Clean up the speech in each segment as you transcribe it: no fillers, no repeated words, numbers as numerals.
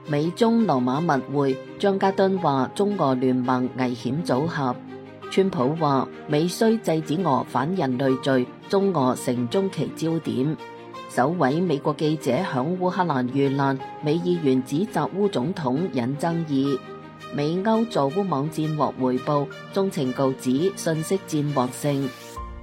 美中羅馬密會，張家敦話中俄聯盟危險組合。川普話美需制止俄反人類罪，中俄成中期焦點。首位美國記者響烏克蘭遇難，美議員指責烏總統引爭議。美歐助烏網戰獲回報，中情局指信息戰獲勝。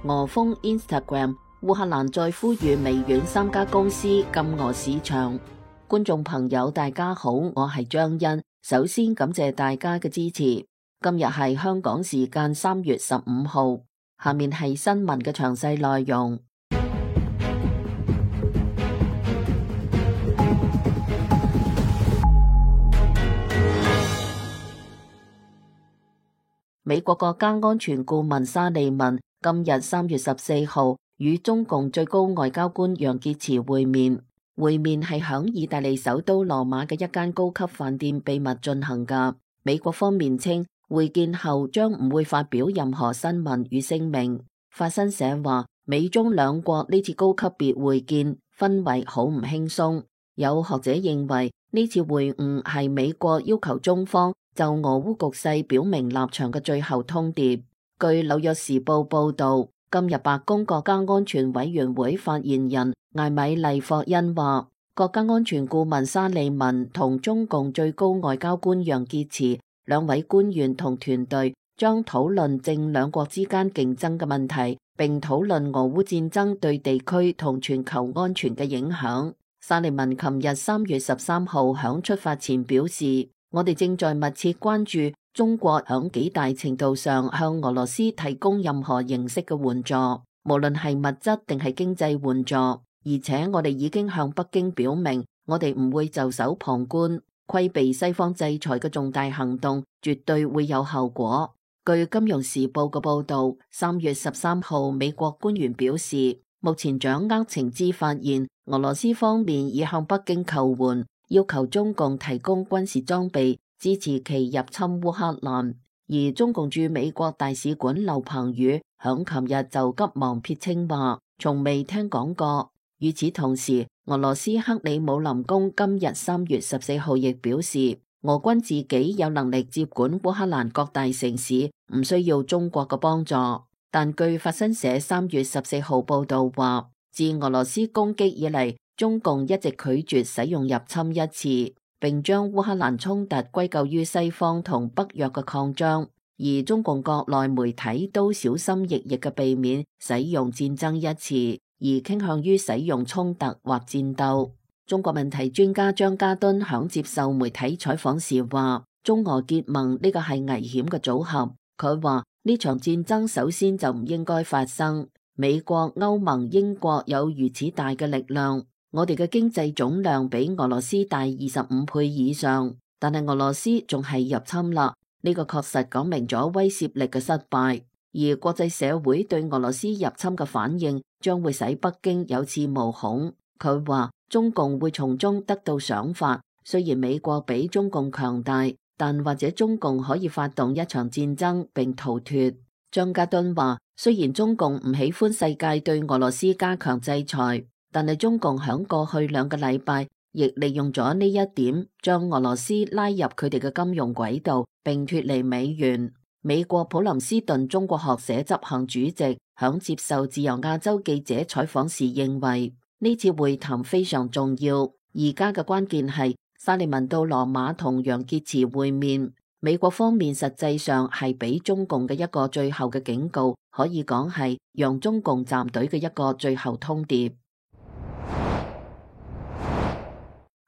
俄封 Instagram， 烏克蘭再呼籲微軟3家公司禁俄市場。觀眾朋友大家好，我係張欣，首先感謝大家嘅支持。今日係香港時間3月15號，下面係新聞嘅詳細內容。美國國家安全顧問沙利文今日3月14號與中共最高外交官楊潔篪會面係響意大利首都羅馬嘅一間高級飯店秘密進行㗎。美國方面稱，會見後將唔會發表任何新聞與聲明。法新社話，美中兩國呢次高級別會見氛圍好唔輕鬆。有學者認為呢次會晤係美國要求中方就俄烏局勢表明立場嘅最後通牒。據紐約時報報道，今日白宮國家安全委員會發言人艾米麗霍恩話，國家安全顧問沙利文同中共最高外交官楊潔篪兩位官員同團隊將討論正兩國之間競爭嘅問題，並討論俄烏戰爭對地區同全球安全嘅影響。沙利文琴日3月13號響出發前表示，我哋正在密切關注中國響幾大程度上向俄羅斯提供任何形式嘅援助，無論係物質定係經濟援助，而且我哋已經向北京表明，我哋唔會袖手旁觀。規避西方制裁嘅重大行動絕對會有後果。據金融時報嘅報道，3月13號美國官員表示，目前掌握情資發現，俄羅斯方面已向北京求援，要求中共提供軍事裝備，支持其入侵烏克蘭。而中共駐美國大使館劉鵬宇響琴日就急忙撇清話，從未聽講過。與此同時，俄羅斯克里姆林宮今日3月14號亦表示，俄軍自己有能力接管烏克蘭各大城市，唔需要中國嘅幫助。但據法新社3月14號報道話，自俄羅斯攻擊以嚟，中共一直拒絕使用入侵一詞，並將烏克蘭衝突歸咎於西方同北約嘅擴張。而中共國內媒體都小心翼翼嘅避免使用戰爭一詞，而傾向於使用衝突或戰鬥。中國問題專家張家敦響接受媒體採訪時話，中俄結盟呢個係危險嘅組合。佢話呢場戰爭首先就唔應該發生。美國、歐盟、英國有如此大嘅力量，我哋嘅經濟總量比俄羅斯大25倍以上，但係俄羅斯仲係入侵啦。呢個確實講明咗威懾力嘅失敗，而國際社會對俄羅斯入侵嘅反應將會使北京有恃無恐。佢話中共會從中得到賞罰，雖然美國比中共強大，但或者中共可以發動一場戰爭並逃脫。張家敦話，雖然中共唔喜歡世界對俄羅斯加強制裁，但係中共響過去2個禮拜亦利用咗呢一點，將俄羅斯拉入佢哋嘅金融軌道，並脫離美元。美國普林斯頓中國學社執行主席響接受自由亞洲記者採訪時認為，呢次會談非常重要。而家嘅關鍵係沙利文到羅馬同楊潔篪會面，美國方面實際上係俾中共嘅一個最後嘅警告，可以講係讓中共站隊嘅一個最後通牒。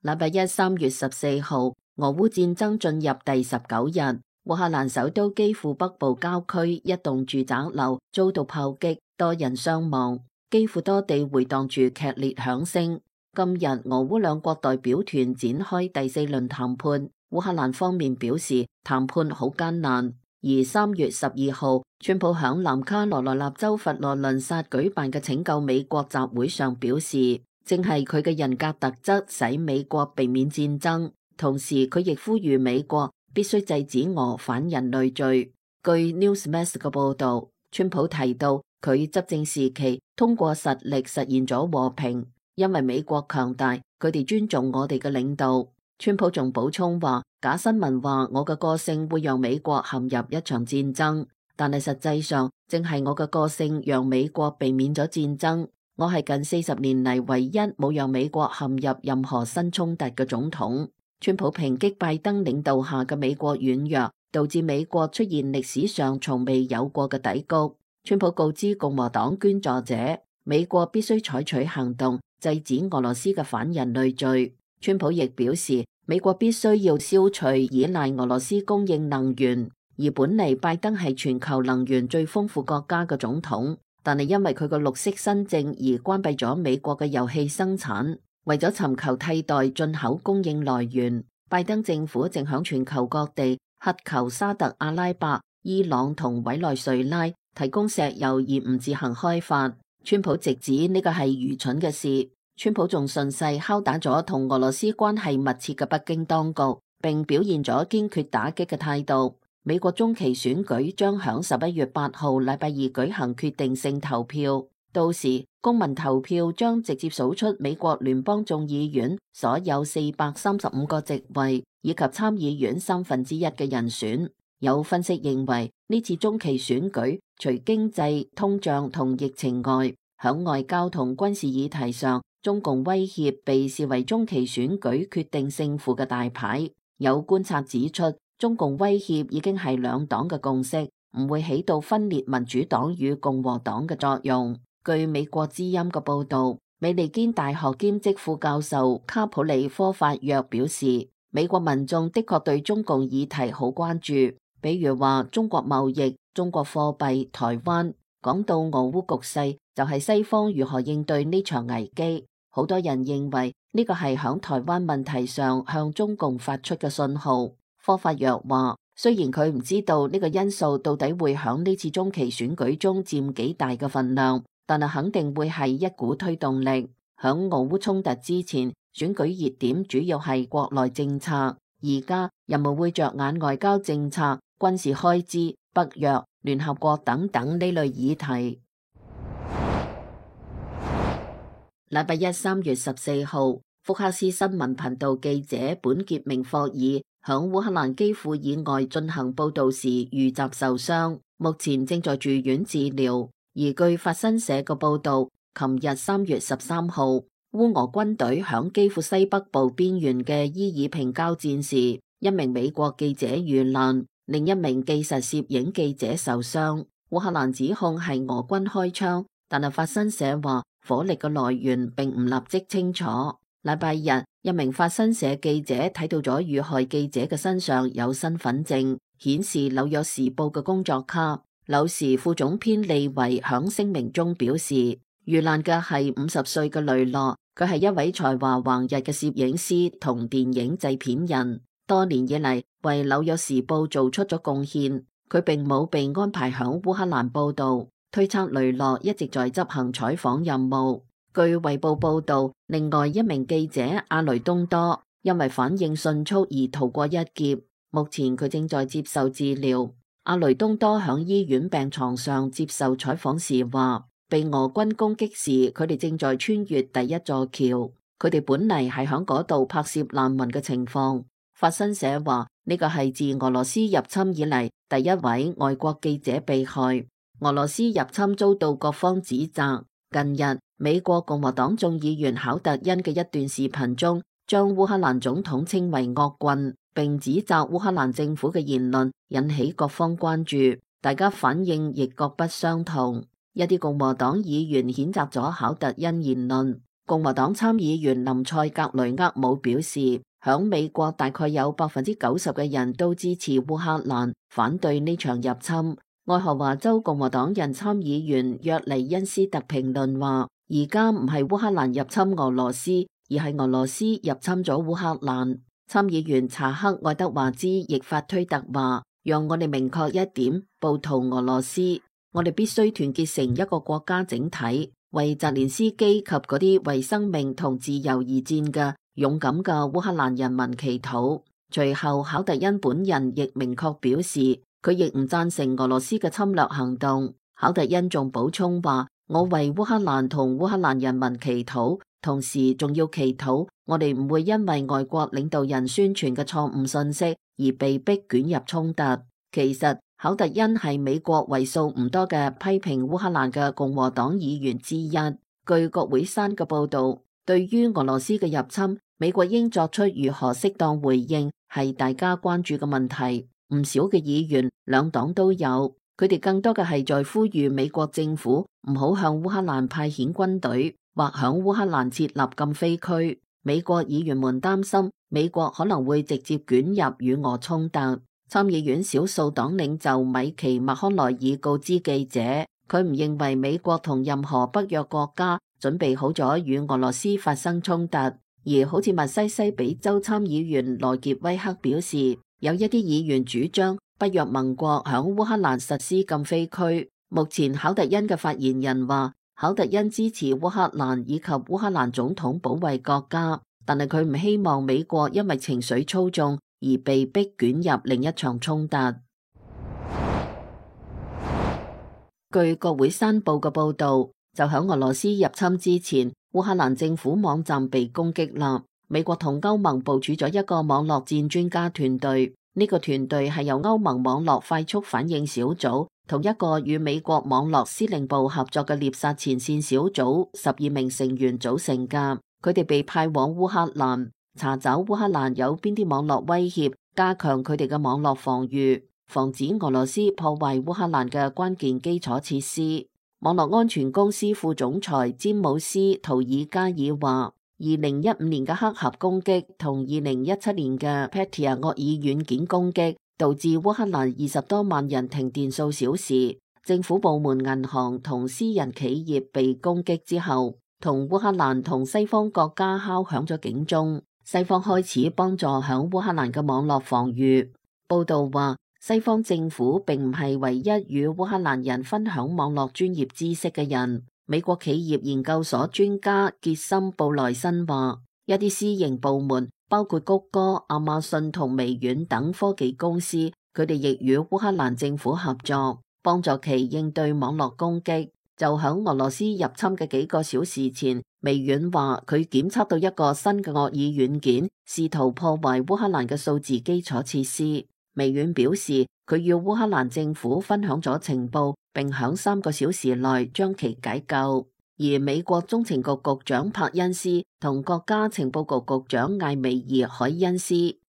禮拜一3月14號，俄烏戰爭進入第19日，烏克蘭首都基輔北部郊區一棟住宅樓遭到炮擊，多人傷亡，基輔多地回盪住劇烈響聲。今日俄烏兩國代表團展開第4輪談判，烏克蘭方面表示談判好艱難。而3月12號，川普響南卡羅來納州佛羅倫薩舉辦嘅拯救美國集會上表示，正係佢嘅人格特質使美國避免戰爭，同時佢亦呼籲美國必須制止俄反人類罪。據 Newsmax 嘅報道，川普提到佢執政時期通過實力實現咗和平，因為美國強大，佢哋尊重我哋嘅領導。川普仲補充話，假新聞話我嘅個性會讓美國陷入一場戰爭，但係實際上正係我嘅個性讓美國避免咗戰爭。我係近40年嚟唯一冇讓美國陷入任何新衝突嘅總統。川普抨擊拜登領導下嘅美國軟弱，導致美國出現歷史上從未有過嘅低谷。川普告知共和黨捐助者，美國必須採取行動制止俄羅斯嘅反人類罪。川普亦表示，美國必須要消除依賴俄羅斯供應能源，而本嚟拜登係全球能源最豐富國家嘅總統，但係因為佢個綠色新政而關閉咗美國嘅油氣生產，為咗尋求替代進口供應來源，拜登政府正響全球各地乞求沙特阿拉伯、伊朗同委內瑞拉提供石油而唔自行開發。川普直指呢個係愚蠢嘅事。川普仲順勢敲打咗同俄羅斯關係密切嘅北京當局，並表現咗堅決打擊嘅態度。美國中期選舉將響11月8號禮拜二舉行決定性投票，到時公民投票將直接數出美國聯邦眾議院所有435個席位以及參議院1/3嘅人選。有分析認為，呢次中期選舉除經濟、通脹同疫情外，響外交同軍事議題上，中共威脅被視為中期選舉決定勝負嘅大牌。有觀察指出，中共威脅已經係兩黨嘅共識，唔會起到分裂民主黨與共和黨嘅作用。據美國之音嘅報道，美利堅大學兼職副教授卡普里科法約表示，美國民眾的確對中共議題好關注，比如話中國貿易、中國貨幣、台灣。講到俄烏局勢，就係西方如何應對呢場危機。好多人認為呢個係響台灣問題上向中共發出嘅信號。科法約話，雖然佢唔知道呢個因素到底會響呢次中期選舉中佔幾大嘅份量，但係肯定會係一股推動力。響俄烏衝突之前，選舉熱點主要係國內政策，而家人們會着眼外交政策、軍事開支、北約、聯合國等等呢類議題。禮拜一3月14號，福克斯新聞頻道記者本傑明霍爾響烏克蘭基輔以外進行報道時遇襲受傷，目前正在住院治療。而據法新社嘅報道，琴日3月13號，烏俄軍隊響基輔西北部邊緣嘅伊爾平交戰時，一名美國記者遇難，另一名技術攝影記者受傷。烏克蘭指控係俄軍開槍，但係法新社話火力嘅來源並唔立即清楚。禮拜日，一名法新社記者睇到咗遇害記者嘅身上有身份證，顯示紐約時報嘅工作卡。紐時副總編利維響聲明中表示，遇難嘅係50歲嘅雷諾，佢係一位才華橫溢嘅攝影師同電影製片人，多年以嚟為紐約時報做出咗貢獻。佢並冇被安排響烏克蘭報道，推測雷諾一直在執行採訪任務。據衛報報道，另外一名記者阿雷東多因為反應迅速而逃過一劫，目前佢正在接受治療。阿雷東多響醫院病床上接受採訪時話，被俄軍攻擊時，佢哋正在穿越第一座橋，佢哋本嚟係響嗰度拍攝難民嘅情況。法新社話，呢個係自俄羅斯入侵以嚟第一位外國記者被害。俄羅斯入侵遭到各方指責。近日，美國共和黨眾議員考特恩嘅一段視頻中，將烏克蘭總統稱為惡棍，並指責烏克蘭政府嘅言論引起各方關注，大家反應亦各不相同。一啲共和黨議員譴責咗考特恩言論。共和黨參議員林塞格雷厄姆表示，響美國大概有90%嘅人都支持烏克蘭，反對呢場入侵。愛荷華州共和黨人參議員約尼恩斯特評論話，而家唔係烏克蘭入侵俄羅斯，而係俄羅斯入侵咗烏克蘭。參議員查克愛德華茲亦發推特話，讓我哋明確一點，暴徒俄羅斯，我哋必須團結成一個國家整體，為澤連斯基及嗰啲為生命同自由而戰嘅勇敢嘅烏克蘭人民祈禱。隨後考特恩本人亦明確表示，佢亦唔贊成俄羅斯嘅侵略行動。考特恩仲補充話，我為烏克蘭同烏克蘭人民祈禱，同時仲要祈禱我哋唔會因為外國領導人宣傳嘅錯誤信息而被迫捲入衝突。其實考特恩係美國為數唔多嘅批評烏克蘭嘅共和黨議員之一。據國會山嘅報導，對於俄羅斯嘅入侵，美國應作出如何適當回應係大家關注嘅問題。唔少嘅議員兩黨都有，佢哋更多嘅係在呼籲美國政府唔好向烏克蘭派遣軍隊，或響烏克蘭設立禁飛區。美國議員們擔心美國可能會直接捲入與俄衝突。參議院少數黨領袖米奇·麥康奈爾告知記者，佢唔認為美國同任何北約國家準備好咗與俄羅斯發生衝突。而好似密西西比州參議員羅傑威克表示，有一啲議員主張北約盟國響烏克蘭實施禁飛區。目前考特恩嘅發言人話，考特恩支持烏克蘭以及烏克蘭總統保衛國家，但係佢唔希望美國因為情緒操縱而被迫捲入另一場衝突。據國會山報嘅報導，就喺俄羅斯入侵之前，烏克蘭政府網站被攻擊啦。美國同歐盟部署咗一個網絡戰專家團隊，呢個團隊係由歐盟網絡快速反應小組同一個與美國網絡司令部合作嘅獵殺前線小組12名成員組成㗎。佢哋被派往烏克蘭，查找烏克蘭有邊啲網絡威脅，加強佢哋嘅網絡防禦，防止俄羅斯破壞烏克蘭嘅關鍵基礎設施。網絡安全公司副總裁詹姆斯·圖爾加爾話，2015年嘅黑客攻擊同2017年嘅 Petya 惡意軟件攻擊導致烏克蘭20多萬人停電數小時。政府部門、銀行同私人企業被攻擊之後，同烏克蘭同西方國家敲響咗警鐘，西方開始幫助響烏克蘭嘅網絡防禦。報道話，西方政府並唔係唯一與烏克蘭人分享網絡專業知識嘅人。美國企業研究所專家傑森布萊森話，一啲私營部門，包括谷歌、亞馬遜同微軟等科技公司，佢哋亦與烏克蘭政府合作，幫助其應對網絡攻擊。就響俄羅斯入侵嘅幾個小時前，微軟話佢檢測到一個新嘅惡意軟件，試圖破壞烏克蘭嘅數字基礎設施。微軟表示，佢與烏克蘭政府分享咗情報，並響3個小時內將其解救。而美國中情局局長柏恩斯同國家情報局局長艾美爾海恩斯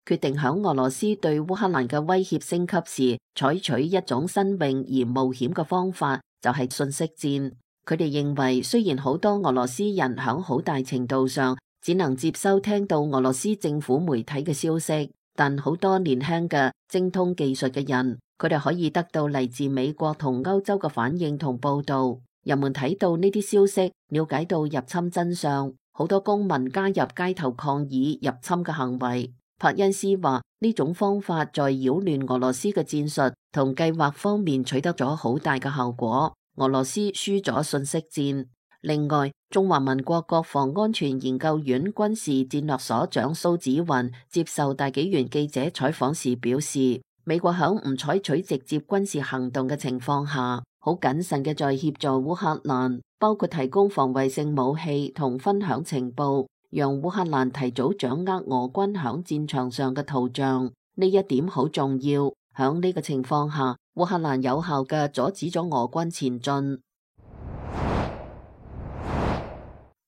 決定響俄羅斯對烏克蘭嘅威脅升級時，採取一種新穎而冒險嘅方法，就係信息戰。佢哋認為，雖然好多俄羅斯人響好大程度上只能接收聽到俄羅斯政府媒體嘅消息，但好多年輕嘅精通技術嘅人，佢哋可以得到嚟自美國同歐洲嘅反應同報導。人們睇到呢啲消息，了解到入侵真相。好多公民加入街頭抗議入侵嘅行為。柏恩斯話，呢種方法在擾亂俄羅斯嘅戰術同計劃方面取得咗好大嘅效果。俄羅斯輸咗信息戰。另外，中華民國國防安全研究院軍事戰略所長蘇紫雲接受大紀元記者採訪時表示，美國響唔採取直接軍事行動嘅情況下，好謹慎嘅在協助烏克蘭，包括提供防衛性武器同分享情報，讓烏克蘭提早掌握俄軍響戰場上嘅圖像。呢一點好重要。響呢個情況下，烏克蘭有效嘅阻止咗俄軍前進。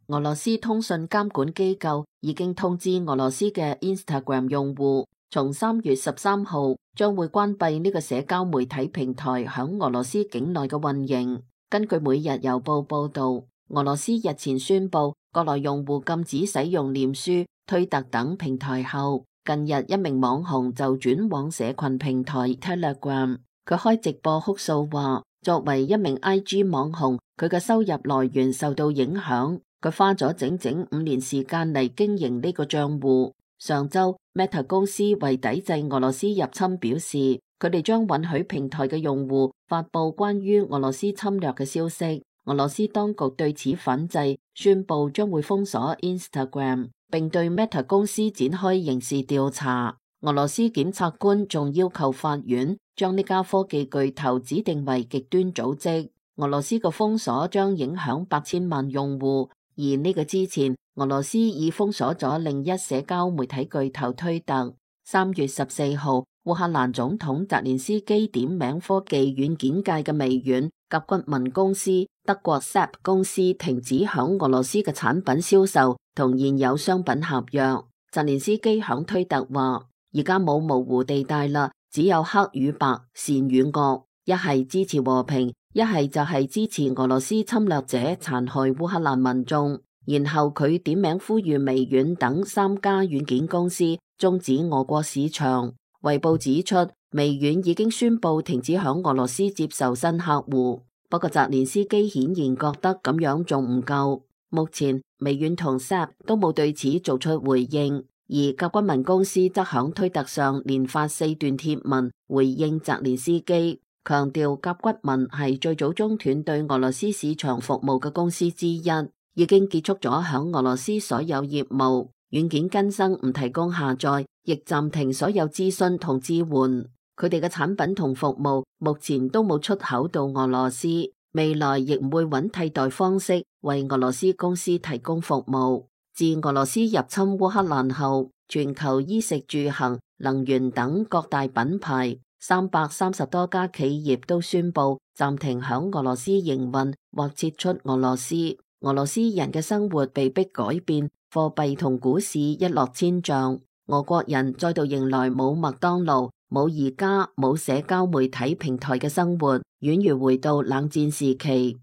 俄羅斯通訊監管機構已經通知俄羅斯嘅 Instagram 用戶，從3月13號將會關閉呢個社交媒體平台響俄羅斯境內嘅運營。根據每日郵報報道，俄羅斯日前宣布國內用戶禁止使用臉書、推特等平台後，近日一名網紅就轉往社群平台 Telegram。佢開直播哭訴話，作為一名 IG 網紅，佢嘅收入來源受到影響。佢花咗整整5年時間嚟經營呢個賬戶。上周 Meta 公司為抵制俄羅斯入侵表示，佢哋將允許平台嘅用戶發佈關於俄羅斯侵略嘅消息。俄羅斯當局對此反制，宣布將會封鎖 Instagram， 並對 Meta 公司展開刑事調查。俄羅斯檢察官仲要求法院將呢家科技巨頭指定為極端組織。俄羅斯嘅封鎖將影響8000萬用戶。而呢個之前，俄羅斯已封鎖咗另一社交媒體巨頭推特。3月14號，烏克蘭總統澤連斯基點名科技軟件界嘅微軟甲骨文公司、德國 SAP 公司停止響俄羅斯嘅產品銷售同現有商品合約。澤連斯基響推特話：而家冇模糊地帶啦，只有黑與白、善與惡，一係支持和平，一係就係支持俄羅斯侵略者殘害烏克蘭民眾。然後佢點名呼籲微軟等3家軟件公司終止俄國市場。衛報指出，微軟已經宣布停止響俄羅斯接受新客戶。不過澤連斯基顯然覺得咁樣仲唔夠。目前微軟同 SAP 都冇對此做出回應，而甲骨文公司則響推特上連發4段貼文回應澤連斯基，強調甲骨文係最早中斷對俄羅斯市場服務嘅公司之一，已經結束咗響俄羅斯所有業務，軟件更新唔提供下載，亦暫停所有諮詢同支援。佢哋嘅產品同服務目前都冇出口到俄羅斯，未來亦唔會揾替代方式為俄羅斯公司提供服務。自俄羅斯入侵烏克蘭後，全球衣食住行、能源等各大品牌330多家企業都宣布暫停響俄羅斯營運或撤出俄羅斯。俄羅斯人嘅生活被迫改變，貨幣同股市一落千丈。俄國人再度迎來冇麥當勞、冇宜家、冇社交媒體平台嘅生活，宛如回到冷戰時期。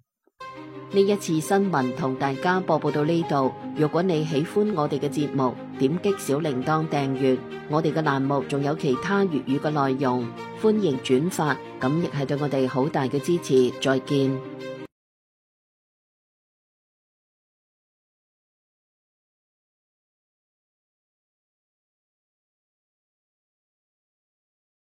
呢一次新聞同大家播報到呢度。如果你喜歡我哋嘅節目，點擊小鈴鐺訂閱。我哋嘅欄目仲有其他粵語嘅內容，歡迎轉發，咁亦係對我哋好大嘅支持。再見。